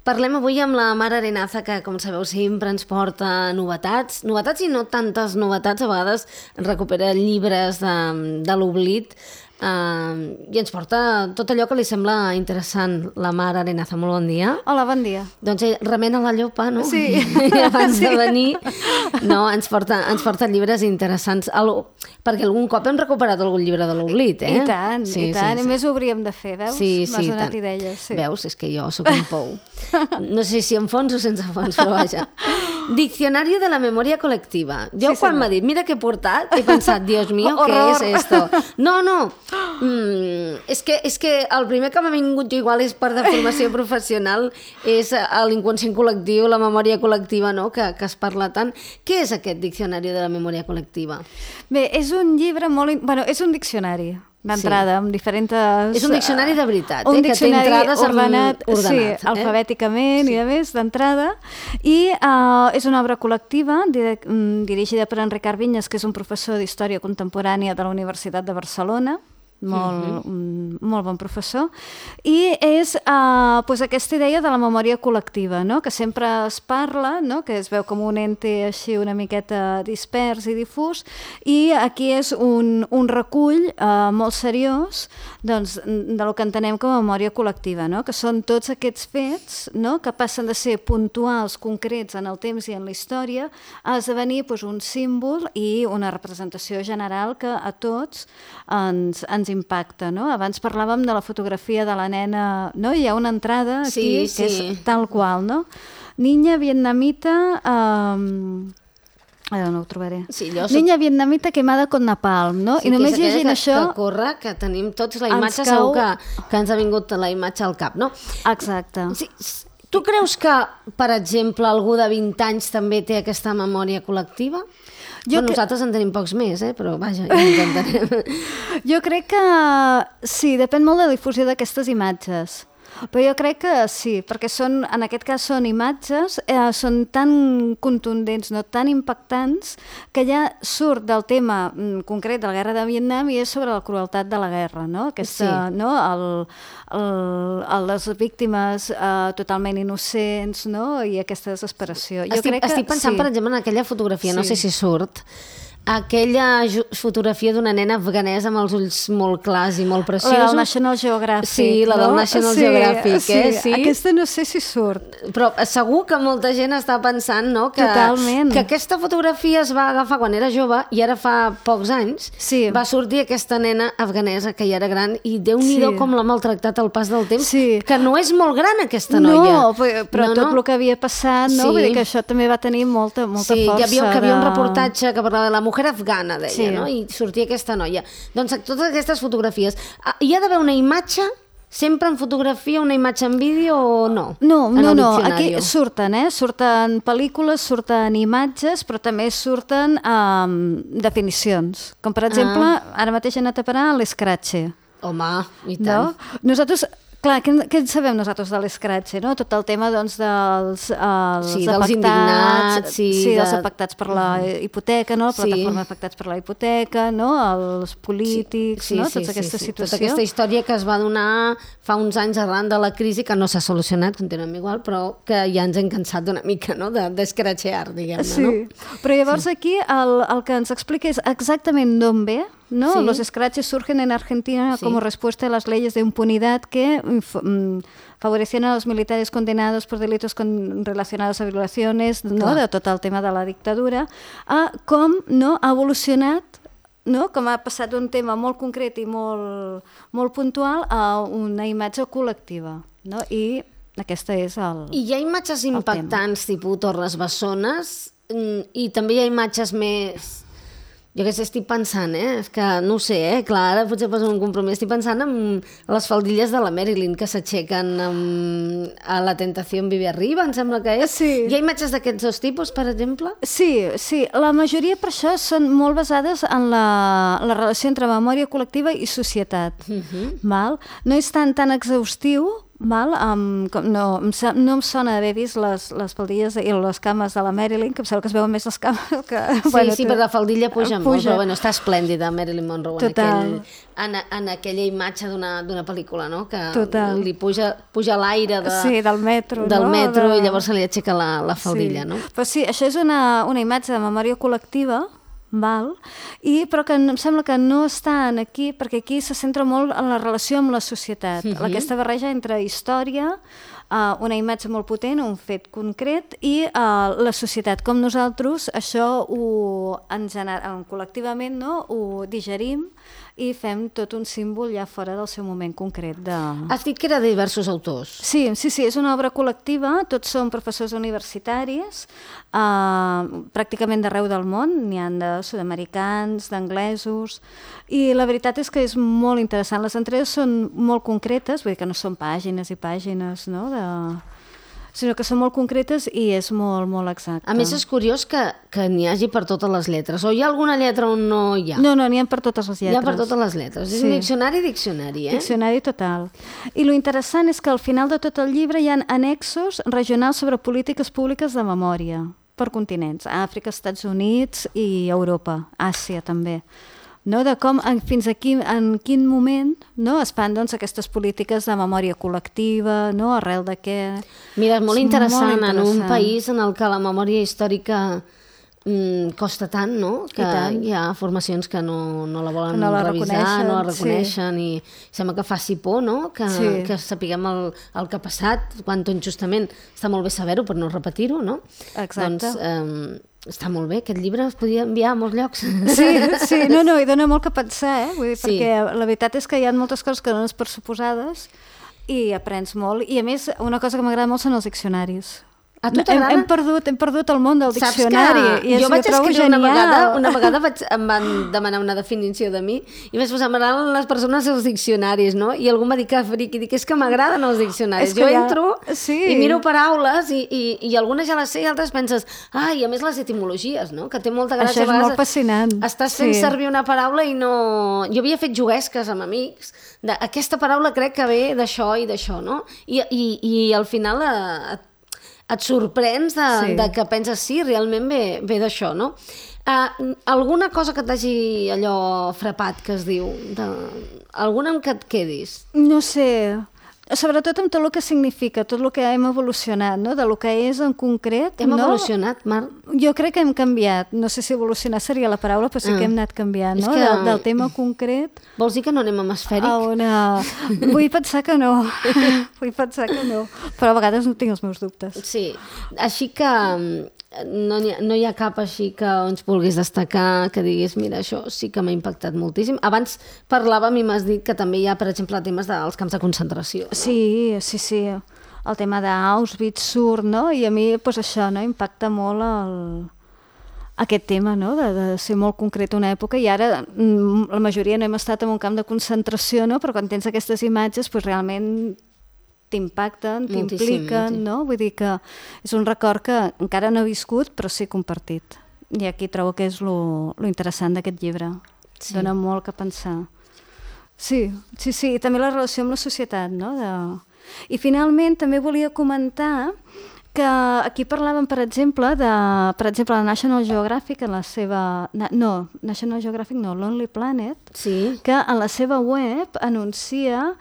Parlem avui amb la Mar Arenaza, que, com sabeu, sempre ens porta novetats i no tantes novetats, a vegades recupera llibres de l'oblit, i ens porta tot allò que li sembla interessant. La Mar Arenaza, molt bon dia. Hola, bon dia. Doncs remena la llopa, no? Sí. Abans de venir, no, ens porta llibres interessants, perquè algun cop hem recuperat algun llibre de l'oblit, eh? I tant, i tant. I més ho hauríem de fer, veus? M'has donat idees. Veus? És que jo sóc un pou. No sé si amb fons o sense fons, però vaja. Diccionari de la memòria col·lectiva. Jo quan m'ha dit, mira què he portat, he pensat, Dios mío, què és esto? No. És que el primer que m'ha vingut jo igual és per de formació professional, és l'inconscient col·lectiu, la memòria col·lectiva, no? Que es parla tant. Què és aquest diccionari de la memòria col·lectiva? Bé, és un llibre molt... Bueno, és un diccionari d'entrada, amb diferents... És un diccionari de veritat, un que té entrades ordenat. Sí, alfabèticament i a més, d'entrada. I és una obra col·lectiva dirigida per Enric Vinyes, que és un professor d'Història Contemporània de la Universitat de Barcelona, molt bon professor, i és aquesta idea de la memòria col·lectiva, no? Que sempre es parla, no? Que es veu com un ente així una miqueta dispers i difús, i aquí és un recull molt seriós, doncs, del que entenem com a memòria col·lectiva, no? Que són tots aquests fets, no? Que passen de ser puntuals, concrets en el temps i en la història, a esdevenir un símbol i una representació general que a tots ens impacta, no? Abans parlàvem de la fotografia de la nena, no? Hi ha una entrada aquí que és tal qual, no? Niña vietnamita... Ara no ho trobaré. Niña vietnamita quemada con napalm, no? I només llegint això... Que corre, que tenim tots la imatge, segur que ens ha vingut la imatge al cap, no? Exacte. Tu creus que, per exemple, algú de 20 anys també té aquesta memòria col·lectiva? Nosaltres en tenim pocs més, però vaja, ja ens entenem. Jo crec que sí, depèn molt de la difusió d'aquestes imatges. Però jo crec que sí, perquè en aquest cas són imatges, són tan contundents, no tan impactants, que ja surt del tema concret de la guerra de Vietnam i és sobre la crueltat de la guerra, no? Les víctimes totalment innocents, no? I aquesta desesperació. Estic pensant, per exemple, en aquella fotografia, no sé si surt, aquella fotografia d'una nena afganesa amb els ulls molt clars i molt preciosos. La del National Geographic. Sí, la del National Geographic. Sí, aquesta no sé si surt. Però segur que molta gent està pensant, no? Que aquesta fotografia es va agafar quan era jove i ara fa pocs anys va sortir aquesta nena afganesa que ja era gran i Déu-n'hi-do com l'ha maltractat al pas del temps, que no és molt gran aquesta noia. No, però tot el que havia passat, no? Vull dir que això també va tenir molta força. Sí, hi havia un reportatge que parlava de la mujer afgana, deia, no? I sortia aquesta noia. Doncs totes aquestes fotografies. Hi ha d'haver una imatge, sempre en fotografia, una imatge en vídeo o no? No. Aquí surten, surten pel·lícules, surten imatges, però també surten definicions. Com, per exemple, ara mateix he anat a parar a l'Scratche. Home, i tant. Nosaltres... Clar, què en sabem nosaltres de l'Scratche, no? Tot el tema, doncs, dels indignats, dels afectats per la hipoteca, no? La plataforma d'afectats per la hipoteca, no? Els polítics, no? Tota aquesta situació. Tota aquesta història que es va donar fa uns anys arran de la crisi, que no s'ha solucionat, continuem igual, però que ja ens hem cansat una mica, no? D'escratxear, diguem-ne, no? Sí, però llavors aquí el que ens explica és exactament d'on ve, ¿no? Los scratches surgen en Argentina como respuesta a las leyes de impunidad que favorecían a los militares condenados por delitos relacionados a violaciones, ¿no? De tot el tema de la dictadura, a com no ha evolucionat, no? Com ha passat d'un tema molt concret i molt puntual a una imatge col·lectiva, no? I aquesta és el I hi ha imatges impactants, tipus Torres Bessones, i també hi ha imatges més... Jo que sé, estic pensant, és que no ho sé, clar, ara potser poso un compromís, estic pensant en les faldilles de la Marilyn que s'aixequen a La tentació en Vive Arriba, em sembla que és. Sí. Hi ha imatges d'aquests dos tipus, per exemple? Sí, la majoria per això són molt basades en la relació entre memòria col·lectiva i societat. Val? No és tan exhaustiu Val? No em sona d'haver vist les faldilles i les cames de la Marilyn, que em sembla que es veuen més les cames que... Sí, però la faldilla puja molt, però està esplèndida Marilyn Monroe en aquella imatge d'una pel·lícula, no? Que li puja l'aire del metro, i llavors se li aixeca la faldilla, no? Però sí, això és una imatge de memòria col·lectiva, però que em sembla que no estan aquí, perquè aquí se centra molt en la relació amb la societat, aquesta barreja entre història, una imatge molt potent, un fet concret, i la societat, com nosaltres això col·lectivament ho digerim i fem tot un símbol ja fora del seu moment concret. Has dit que era de diversos autors. Sí, és una obra col·lectiva, tots són professors universitaris, pràcticament d'arreu del món, n'hi ha de sud-americans, d'anglesos, i la veritat és que és molt interessant. Les entregues són molt concretes, vull dir que no són pàgines i pàgines, no?, sinó que són molt concretes i és molt, molt exacte. A més, és curiós que n'hi hagi per totes les lletres. O hi ha alguna lletra on no hi ha? No, n'hi ha per totes les lletres. Hi ha per totes les lletres. És un diccionari, eh? Diccionari total. I lo interessant és que al final de tot el llibre hi ha annexos regionals sobre polítiques públiques de memòria per continents. Àfrica, Estats Units i Europa. Àsia, també. No, de com, fins aquí, en quin moment es fan aquestes polítiques de memòria col·lectiva, arrel de què... Mira, és molt interessant en un país en el que la memòria històrica costa tant, no? Que hi ha formacions que no la volen revisar, no la reconeixen, i sembla que faci por, no? Que sapiguem el que ha passat, quan justament està molt bé saber-ho per no repetir-ho, no? Exacte. Doncs està molt bé, aquest llibre es podia enviar a molts llocs. Sí, no, i dona molt que pensar, Vull dir, perquè la veritat és que hi ha moltes coses que dones per suposades i aprens molt, i a més una cosa que m'agrada molt són els diccionaris. A tu t'agrada? Hem perdut el món del diccionari. Saps que jo vaig escriure una vegada em van demanar una definició de mi i vaig posar, m'agraden les persones els diccionaris, no? I algú m'ha dit que friqui, dic, és que m'agraden els diccionaris. Jo entro i miro paraules i algunes ja les sé i altres penses, i a més les etimologies, no? Que té molta gràcia. Això és molt fascinant. Estàs fent servir una paraula i no... Jo havia fet juguesques amb amics aquesta paraula crec que ve d'això i d'això, no? I al final et sorprens de que penses, sí, realment ve d'això, no? Alguna cosa que t'hagi allò frapat, que es diu? Alguna amb què et quedis? No sé... Sobretot amb tot el que significa, tot el que hem evolucionat, no? De lo que és en concret. Hem evolucionat, Mar? Jo crec que hem canviat. No sé si evolucionar seria la paraula, però sí que hem anat canviant, no? Del tema concret. Vols dir que no anem amb esfèric? Vull pensar que no. Però a vegades no tinc els meus dubtes. Sí, així que no hi ha cap així que ens vulguis destacar, que diguis, mira, això sí que m'ha impactat moltíssim. Abans parlàvem i m'has dit que també hi ha, per exemple, temes dels camps de concentració. Sí. El tema d'Auschwitz surt, no? I a mi, doncs això, no? Impacta molt aquest tema, no? De ser molt concret una època, i ara la majoria no hem estat en un camp de concentració, no? Però quan tens aquestes imatges, doncs realment t'impacten, t'impliquen, no? Vull dir que és un record que encara no he viscut, però sí compartit. I aquí trobo que és lo interessant d'aquest llibre. Dona molt que pensar. Sí, i també la relació amb la societat, no? I finalment també volia comentar que aquí parlàvem, per exemple, la National Geographic, en la seva... No, National Geographic no, Lonely Planet, que en la seva web anuncia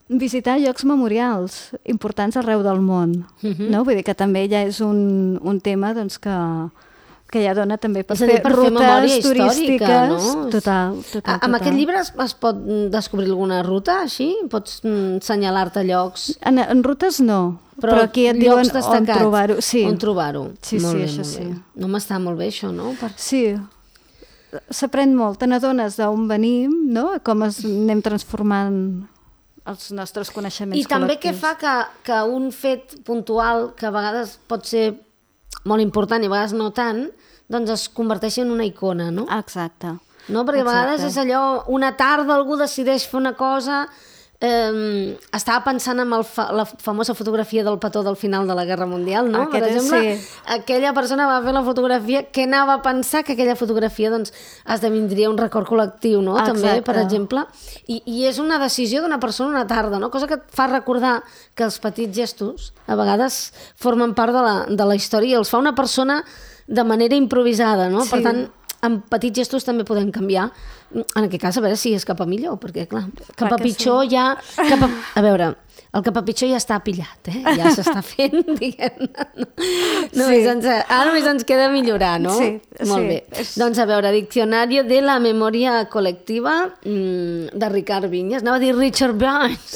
visitar llocs memorials importants arreu del món. No? Vull dir que també ja és un tema doncs, que ja dona també per fer rutes turístiques. No? Total. Amb aquest llibre es pot descobrir alguna ruta, així? Pots assenyalar-te llocs? En rutes no, però aquí et diuen on trobar-ho. On trobar-ho. Sí, això sí. No m'està molt bé, això, no? Sí, s'aprèn molt. Te n'adones d'on venim, no? Com anem transformant els nostres coneixements col·lectius. I també què fa que un fet puntual, que a vegades pot ser molt important i a vegades no tant, doncs es converteixi en una icona, no? Exacte. No? Perquè a vegades és allò, una tarda algú decideix fer una cosa estava pensant en la famosa fotografia del petó del final de la Guerra Mundial, no? Per exemple, aquella persona va fer la fotografia, què anava a pensar que aquella fotografia doncs, esdevindria un record col·lectiu, no? També, per exemple. I és una decisió d'una persona una tarda, no? Cosa que et fa recordar que els petits gestos a vegades formen part de la història i els fa una persona de manera improvisada, no? Per tant, amb petits gestos també podem canviar. En aquest cas, a veure si és cap a millor, perquè, clar, cap a pitjor ja... A veure, el cap a pitjor ja està pillat, ja s'està fent, diguem-ne. Ara només ens queda millorar, no? Sí. Molt bé. Doncs, a veure, Diccionario de la Memoria Colectiva de Ricard Vinyes. Anava a dir Richard Burns.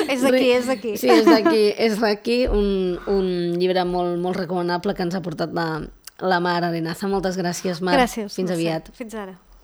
És d'aquí. Sí, és d'aquí. Un llibre molt, molt recomanable que ens ha portat la Mar Arenaza. Moltes gràcies, Mar. Gràcies. Fins aviat. Fins ara.